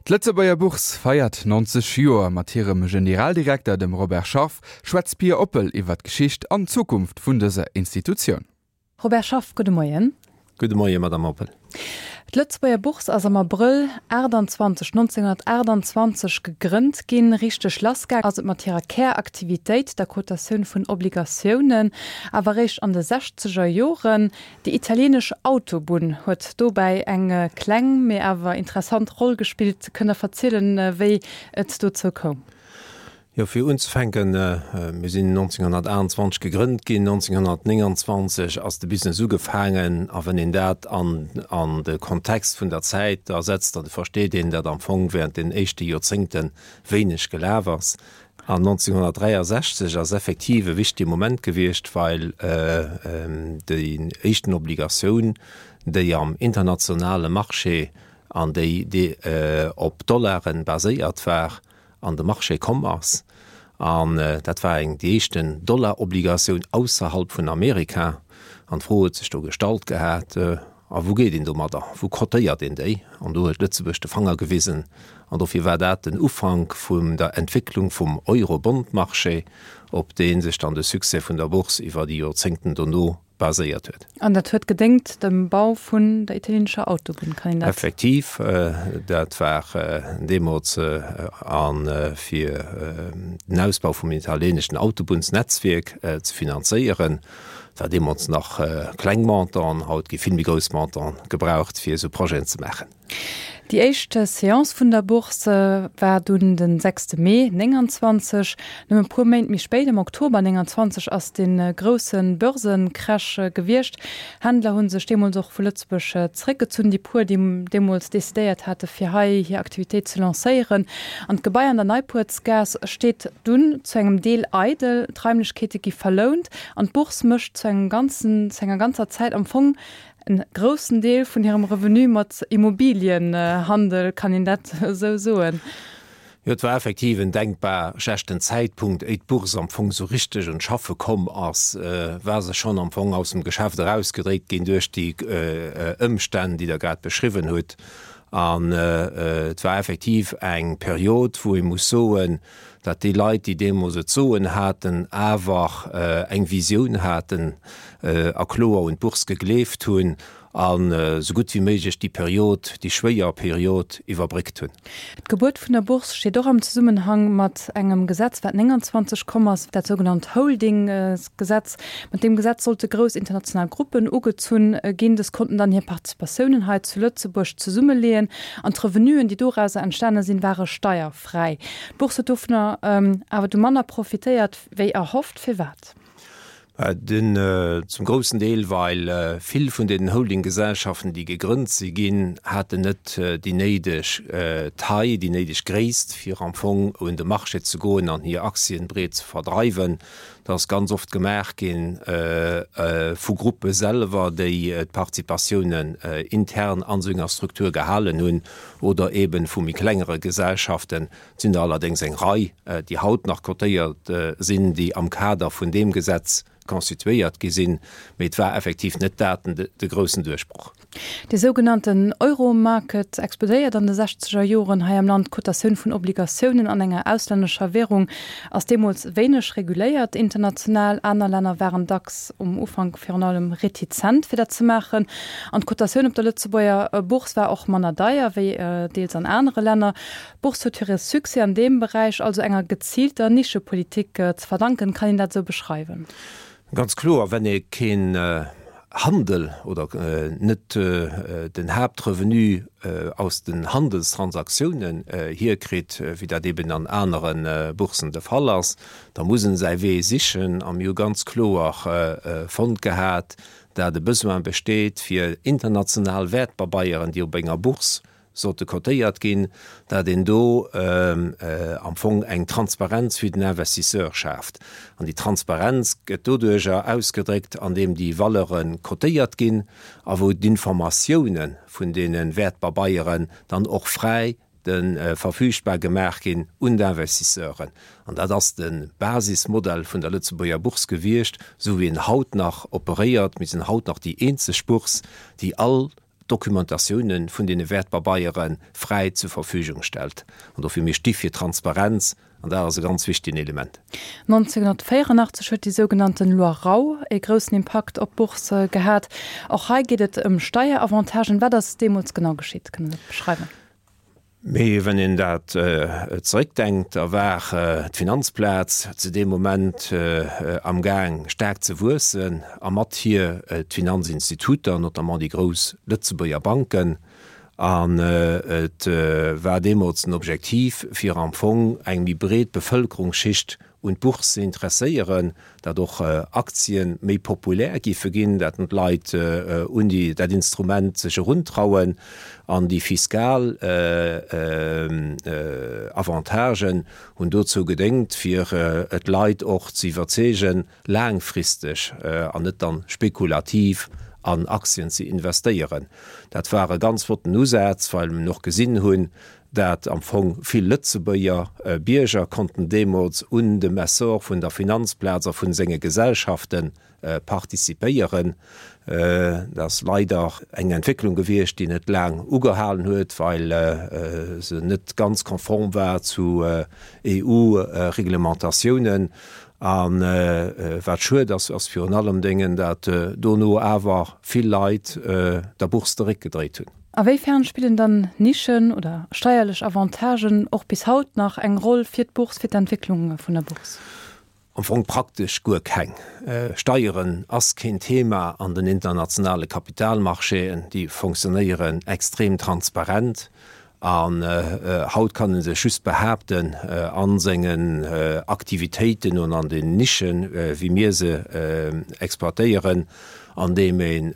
D'Lëtzebuerger Bourse feiert 90 Joer. Mat hirem Generaldirekter, dem Robert Scharff, schwätzt d'Pia Oppel iwwer d'Geschicht an d'Zukunft vun dëser Institutioun. Robert Scharff, gudde Moien. Gudde Moien, Madame Oppel. D'Lëtzebuerger Bourse ass am Abrëll 28, 1928 gegrënnt ginn. Richteg lassgaang ass et mat hirer Käraktivitéit, der Cotatioun vun Obligatiounen, awer eréischt an de sechzeger Joren. Déi italienesch Autobunn huet dobäi eng kleng, mee awer interessant Roll gespillt. Kënnt Der verzielen, wéi et dozou koum? Jo, fir unzefänken, mir sinn 1928 gegrënnt ginn, 1929 ass de Business ugefaangen. A wann een dat an an de Kontext vun der Zäit da setzt, da versteet een, datt am Fong während den éischte Joerzéngte wéineg gelaf ass. An 1963 ass effektiv e wichtege Moment gewiescht, well déi éischten Obligatioun, déi am internationale Marché an déi op Dollaren baséiert war, an de Marché komm ass. An dat war eng déi éischten Dollar-Obligatioun ausserhalb vun Amerika. An d'Fro huet sech do gestallt gehat, A wou geet een domadder? Wou cotéiert een déi? An do huet Lëtzebuerg de Fanger gewisen. An dofir war dat den Ufank vun der Entwécklung vum Euro-Bond-Marché, op dee sech dann de Succès vun der Bourse iwwer déi Joerzéngten dono baséiert huet. An dat huet gedéngt dem Bau vun der italienescher Autobunn, kann een dat. Effektiv, dat war deemools a fir den Ausbau vum italieneschen Autobunnsnetzwierk ze finanzéieren. Et war deemools nach kleng Montanten, haut gi vill méi grouss Montanten gebraucht, fir esou Projeten ze maachen. Déi éischt Seance vun der Bourse war dunn de sechste Mee 29. Nëmme puer Méint méi spéit, am Oktober 29, ass de grousse Börsencrash gewiescht. Händler hu sech deemools och vu Lëtzebuerg zeréckgezunn, déi puer, déi deemools decidéiert hate fir hei hir Aktivitéit ze lancéieren. An d'Gebai an der Neipuertsgaass steet dunn zu engem Deel eidel, d'Raimlechkeete gi verlount an d'Bourse mécht zu engem ganzen, zu enger ganzer Zäit am Fong En groussen Deel vun hirem Revenu mat Immobilienhandel, kann een dat esou soen? Jo, et war effektiv en denkbar schlechten Zäitpunkt. Éi d'Bourse am Fong esou richteg un d'Schaffe komm ass, war se schonn am Fong aus dem Geschäft erausgedréckt ginn duerch déi Ëmstänn, déi Der grad beschriwwen hutt. An et war effektiv eng Period, wou ee muss soen, datt déi Leit, déi deemools et soen haten, awer eng Visioun haten a kloer un d'Bourse gegleeft hunn an esou gutt wéi méiglech déi Period, déi schwéier Period iwwerbréckt hunn. D'Gebuert vun der Bourse steet och am Zesummenhang mat engem Gesetz, wat 29 komm ass, dat sougenannt Holdinggesetz. Mat deem Gesetz sollte grouss international Gruppen ugezunn ginn. Dës konnten dann hir Participatiounen hei zu Lëtzebuerg zesummeleeën an d'Revenuen, déi dorauser entstane sinn, ware steierfräi. Fräi. D'Bourse huet dovunner awer du manner profitéiert wéi erhofft. Firwat? Den zum groussen Deel, well vill vun den Holdinggesellschaften, déi gegrënnt si ginn, haten net déi néideg Taille, déi néideg Gréisst, fir am Fong un de Marché ze goen an hir Aktien breet ze verdreiwen. Dat ass ganz oft gemaach ginn vu Gruppe selwer, déi d'Participatiounen intern an esou enger Struktur gehalen hunn. oder eben vu méi klengere Gesellschaften. Et sinn der allerdéngs eng Rei, déi haut nach cotéiert sinn, déi am Kader vun deem Gesetz constituéiert gi sinn, mee et war effektiv net dat de groussen Duerchbroch. Dee sougenannten Euromarket explodéiert an de sechzeger Joren hei am Land. D'Cotatioun vun Obligatiounen an enger auslännescher Währung ass deemools wéineg reguléiert international. Aner Länner waren dacks um Ufank virun allem retizent fir dat ze maachen. An d'Cotatioun op der Lëtzebuerger Bourse war och manner deier wéi deels an anere Länner. D'Bourse huet hire Succès an deem Beräich also enger geziilter Nischepolitik ze verdanken. Kann een dat esou beschreiwen? Ganz kloer, wenn ee keen Handel oder net den Haaptrevenu aus den Handelstransaktiounen hierkritt, wéi dat eben an anere Boursen de Fall ass, da muss en säi Wee sichen. A mir hu ganz kloer fonnt gehat, dat e Besoin besteet fir international Wäertpabeieren, déi op enger Bourse sollte cotéiert ginn, dat een do am Fong eng Transparenz fir den Investisseur schaaft. An déi Transparenz gëtt doduerjer ausgedréckt, andeem déi Valeure cotéiert ginn a wou d'Informatioune vun deene Wäertpabeieren dann och fräi de verfügbar gemaach ginn un d'Investisseuren. An dat ass de Basismodell vun der Lëtzebuerger Bourse gewiescht, esou wéi en haut nach operéiert. Mir sinn haut nach déi eenzeg Bourse, déi all. d'Documentatiounen vun deene Wäertpabeiere fräi zur Verfügung stellt. An dofir, mir sti fir Transparenz an dat ass e ganz wichtegen Element. 1984 huet déi sougenannten Loi Rau ee groussen Impakt op d'Bourse gehat. Och hei geet et ëm Steieravantagen. Wat ass deemools genau geschitt? Kënnt Der dat beschreiwen? Mee wann een dat zeréckdenkt, da war d'Finanzplaz zu deem Moment amgaang staark ze wuessen a mat hir d'Finanzinstituter, notamment déi grouss Lëtzebuerger Banken. An et war deemools den Objektiv, fir am Fong eng méi breet Bevëlkerungsschicht un d'Bourse ze interesséieren, datt och Aktien méi populär giffe ginn, datt d'Leit un déi, dat Instrument sech eruntrauen an déi fiskal Avantagen hunn dozou gedéngt, fir d'Leit och ze iwwerzeegen, laangfristeg an net dann spekulativ an Aktien ze investéieren. Dat war e ganz flotten Usaz, well mir och gesinn hunn, dat am Fong vill Lëtzebuerger Bierger konnten deemools un dem Essor vun der Finanzplaz a vun senge Gesellschafte participéieren. Dat ass leider eng Entwécklung gewiescht, déi net laang ugehalen huet, well se net ganz konform war zu EU-Reglementatiounen. A wat schued ass, ass virun allem Déngen, dat dono awer vill Leit der Bourse de Réck gedréit hunn. A wéi fern spillen dann Nischen oder steierlech Avantagen och bis haut nach eng Roll fir d'Bourse, fir d'Entwécklung vun der Bourse? Am Fong praktesch guer keng. Steieren ass keen Thema an den internationale Kapitalmarchéen. Déi fonctionnéieren extrem transparent. An haut kann e sech just behaapten a sengen Aktivitéiten und an den Nischen, wéi mir se exploitéieren, andeem een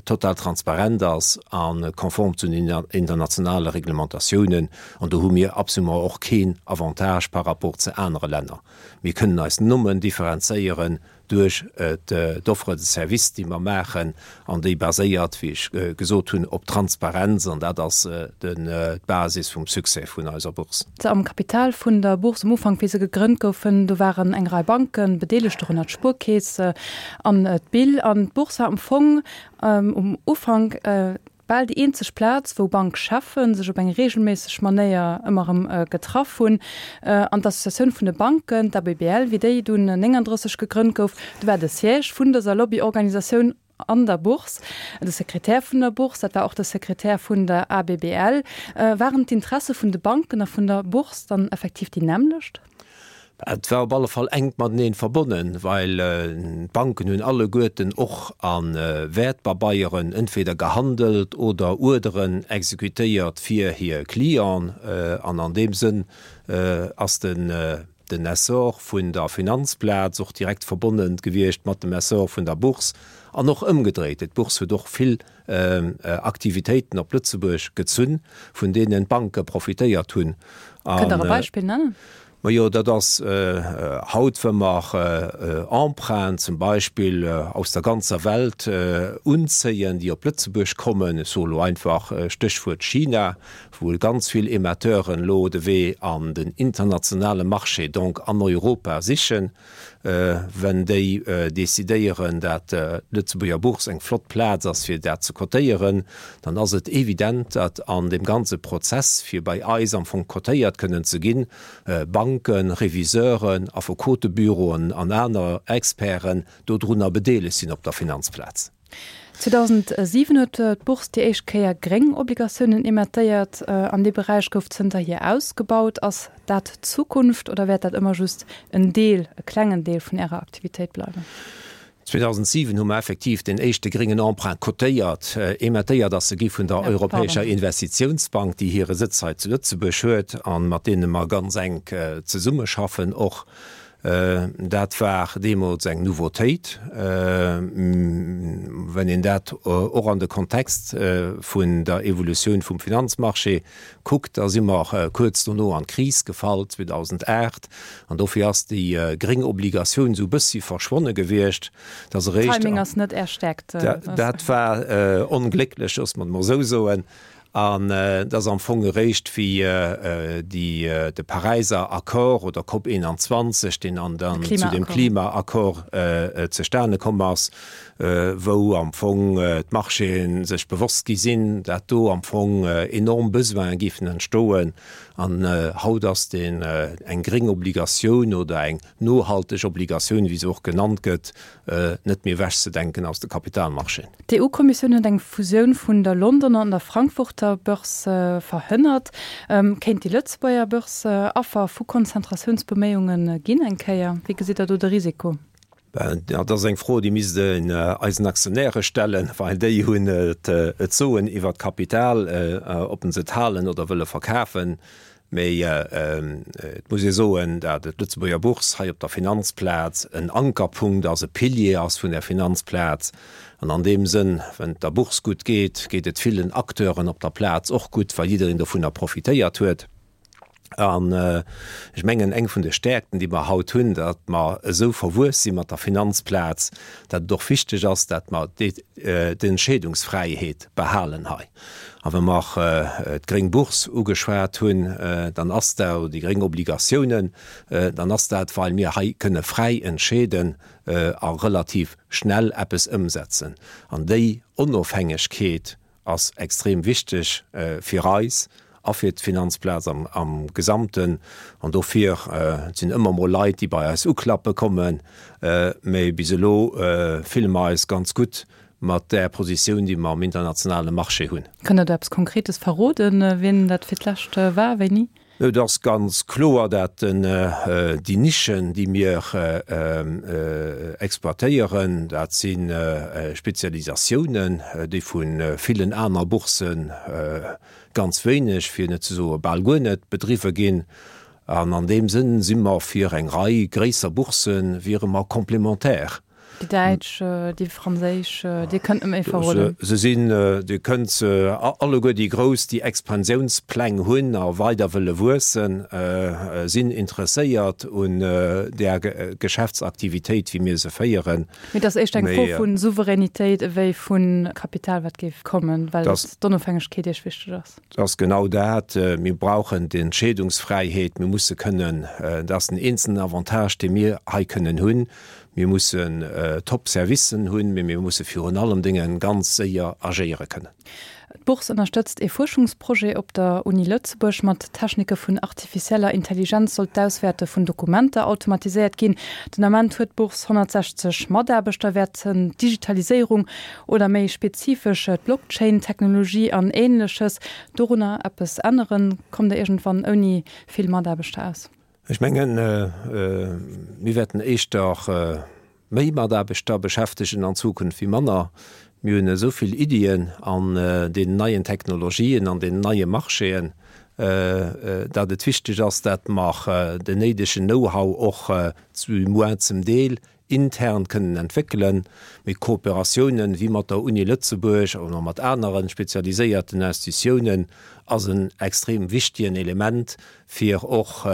total transparent ass a konform zu den internationale Reglementatiounen. An do hu mir absolument och keen Avantage par rapport zu anere Länner. Mir kënnen eis nëmmen differenzéieren duerch d'Offre de service, déi mer maachen an déi baséiert, wéi ech gesot hunn, op Transparenz, an dat ass d'Basis vum Succès vun eiser Bourse. Am Kapital vun der Bourse um Ufank, wéi se gegrënnt goufen, do waren eng Rei Banke bedeelegt, dorënner d'Spuerkeess an d'BIL. An d'Bourse war am Fong um Ufank Bal déi eenzeg Plaz, wou Bankcheffe sech op eng reegelméisseg Manéier ëmmer erëm getraff hunn. An d'Associatioun vun de Banken, d'ABBL, wéi déi dunn 39 gegrënnt gouf, do war de Siège vun dëser Lobbyorganisatioun an der Bourse. De Sekretär vun der Bourse, dat war och de Sekretär vun der ABBL. Waren d'Interesse vun de Banken a vun der Bourse dann effektiv déi nämmlecht? Et war op alle Fall enk mateneen verbonnen, well d'Banken hunn alleguerten och a Wäertpabeieren entweder gehandelt oder Uerderen exekutéiert fir hir Clienten. An an deem Sënn ass den den Essor vun der Finanzplaz och direkt verbonnen gewiescht mat dem Essor vun der Bourse an och ëmgedréit. D'Bourse huet och vill Aktivitéiten op Lëtzebuerg gezunn, vun deenen d'Banke profitéiert hunn. Kënnt Der e Beispill nennen? Majo, dat ass haut, wa mer Emprunten zum Beispill aus der ganzer Welt unzéien, déi op Lëtzebuerg kommen, ech soe lo einfach Stéchwuert China, wou ganz vill Emetteuren elo de Wee an den internationale Marché, donc an Europa sichen. Wenn déi decidéieren, dat d'Lëtzebuerger Bourse eng flott Plaz ass, fir dat ze cotéieren, dann ass et evident, datt an deem ganze Prozess, fir bei eis am Fong cotéiert kënnen ze ginn, Banken, Reviseuren, Affekotebüroen an aner Experten dodrunner bedeelegt sinn op der Finanzplaz. 2007 huet d'Bourse déi éischt Kéier gréng Obligatiounen emettéiert. An dee Beräich gouf zënterhier ausgebaut. Ass dat d'Zukunft oder wäert dat ëmmer just en Deel, e klengen Deel vun Ärer Aktivitéit bleiwen? 2007 hu mer effektiv deen éischte gréngen Emprunt cotéiert. Emettéiert ass e gi vun der Europäescher Investitiounsbank, déi hire Sëtz hei zu Lëtzebuerg huet a mat deene mer ganz enk zesummeschaffen och. Dat war deemools eng Nouveautéit. Wenn een dat och an de Kontext vun der Evolutioun vum Finanzmarché kuckt, da si mer kuerz dono an d'Kris gefall, 2008, an dofir ass déi gréng Obligatioun esou e bëssi verschwonne gewiescht. Dat ass eréischt. Timing ass net Är Stäerkt. Dat war onglécklech, loosse mer et mol esou soen. An et ass am Fong eréischt, wéi déi, de Paräiser Accord oder COP 21, deen an dann zu dem Klimaaccord zustane komm ass, wou am Fong d'Marchéen sech bewosst gi sinn, dat do am Fong enorm Besoine géifen entstoen. An haut ass deen eng gréng Obligatioun oder eng nohalteg Obligatioun, wéi se och genannt gëtt, net méi ewechzedenken aus de Kapitalmarchéen. D'EU-Kommissioun huet eng Fusioun vun der Londoner an der Frankfurter Börse verhënnert. Kéint déi Lëtzebuerger Börse Affer vu Konzentratiounsbeméiunge ginn eng Kéier? Wéi gesitt Der do de Risiko? Dat ass eng Fro, déi misst een eisen Aktionäre stellen, well déi hunn et Soen iwwert d'Kapital, ob se et halen oder wëlle verkafen. Mee et muss ee soen, dat d'Lëtzebuerger Bourse hei op der Finanzplaz en Ankerpunkt ass, e Pilier ass vun der Finanzplaz. An an deem Sënn, wenn et der Bourse gutt geet, geet et villen Acteuren op der Plaz och gutt, well jiddereen dovunner profitéiert huet. An ech mengen, eng vun de Stäerkten, déi mer haut hunn, datt mer esou verwuess si mat der Finanzplaz, datt et och wichteg ass, datt mer d'Entscheedungsfräiheet behalen hei. A wa mer d'gréng Bourse ugeschwat hunn, dann ass dat, oder déi gréng Obligatiounen, dann ass dat, well mir hei kënne fräi entscheeden a relativ schnell eppes ëmsetzen. An déi Onofhängegkeet ass extrem wichteg fir eis a fir d'Finanzplaz am Gesamten. An dofir, et sinn ëmmer mol Leit, déi bei eis uklappe kommen, mä bis elo fille mer eis ganz gutt mat där Positioun, déi mer am internationale Marché hunn. Kënnt Der do eppes Konkretes verroden, wien dat fir d'lescht war, wéini? Et ass ganz kloer, dat déi Nischen, déi mir exploitéieren, dat si Spezialisatiounen, déi vu villen aner Bourse ganz wéineg, fir net ze soe bal guer net, bedriwwe ginn. An an deem Sënn si mer fir eng Rei gréisser Bourse wiere mer complémentaire. Déi däitsch, déi franséisch, Dir kënnt net méi verroden. Se sinn, Dir kënnt se alleguer, déi grouss, déi Expansiounspläng hunn a weider wëlle wuessen, sinn interesséiert un där Geschäftsaktivitéit, wéi mir se féieren. Mee et ass éischter eng Fro vu Souveränitéit ewéi vu Kapital, wat géif kommen, well d'Onofhängegkeet Iech wichteg ass. Et ass genau dat, Mir brauchen d'Entscheedungsfräiheet. Mir musse kënnen, dat ass den eenzelen Avantage, dee mir hei kënnen hunn, Mir mussen top Servicen hunn, mee mir musse virun allem Dénge ganz séier agéiere kënnen. D'Bourse ënnerstëtzt ee Fuerschungsprojet op der Uni Lëtzebuerg. Mat Technike vun artificieller Intelligenz soll d'Auswäerte vun Dokumenter automatiséiert ginn. Den Ament huet d'Bourse 160 Mataarbechter. Wäerten d'Digitaliséierung oder méi spezifesch d'Blockchain-Technologie an Änleches dorunner eppes änneren? Kommt Der iergendwann ouni vill Mataarbechter aus? Ech mengen, mir wäerten éischter méi Mataarbechter beschäftegen an Zukunft wéi manner. Mir hunn esou vill Iddien an deenen neien Technologien, an deenen neie Marchéen, datt et wichteg ass, datt mer den néidegen Know-how och du moins zum Deel intern kënnen entwéckelen. Mee Kooperatiounen wéi mat der Uni Lëtzebuerg oder mat anere spezialiséierten Institutiounen ass en extrem wichtigen Element, fir och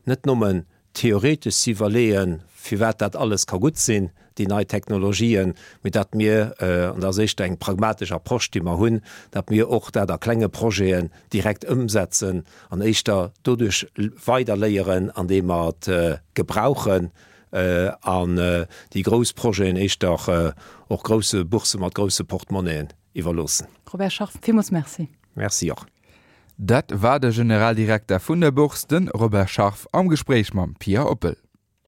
net nëmmen theoretesch ze iwwerleeën, firwat dat alles ka gutt sinn, déi nei Technologien, mee datt mir, an dat ass éischter eng pragmatesch Approche, déi mer hunn, datt mir och dat a klenge Projeten direkt ëmsetzen an éischter doduerch weiderléieren, andeem mer et gebrauchen, an déi grouss Projeten éischter och grousse Boursse mat grousse Portemonnaien iwwerloossen. Robert Scharf, villmools Merci. Merci och. Dat war de Generaldirekter vun der Bourse, de Robert Scharf, am Gespréich mam Pia Oppel.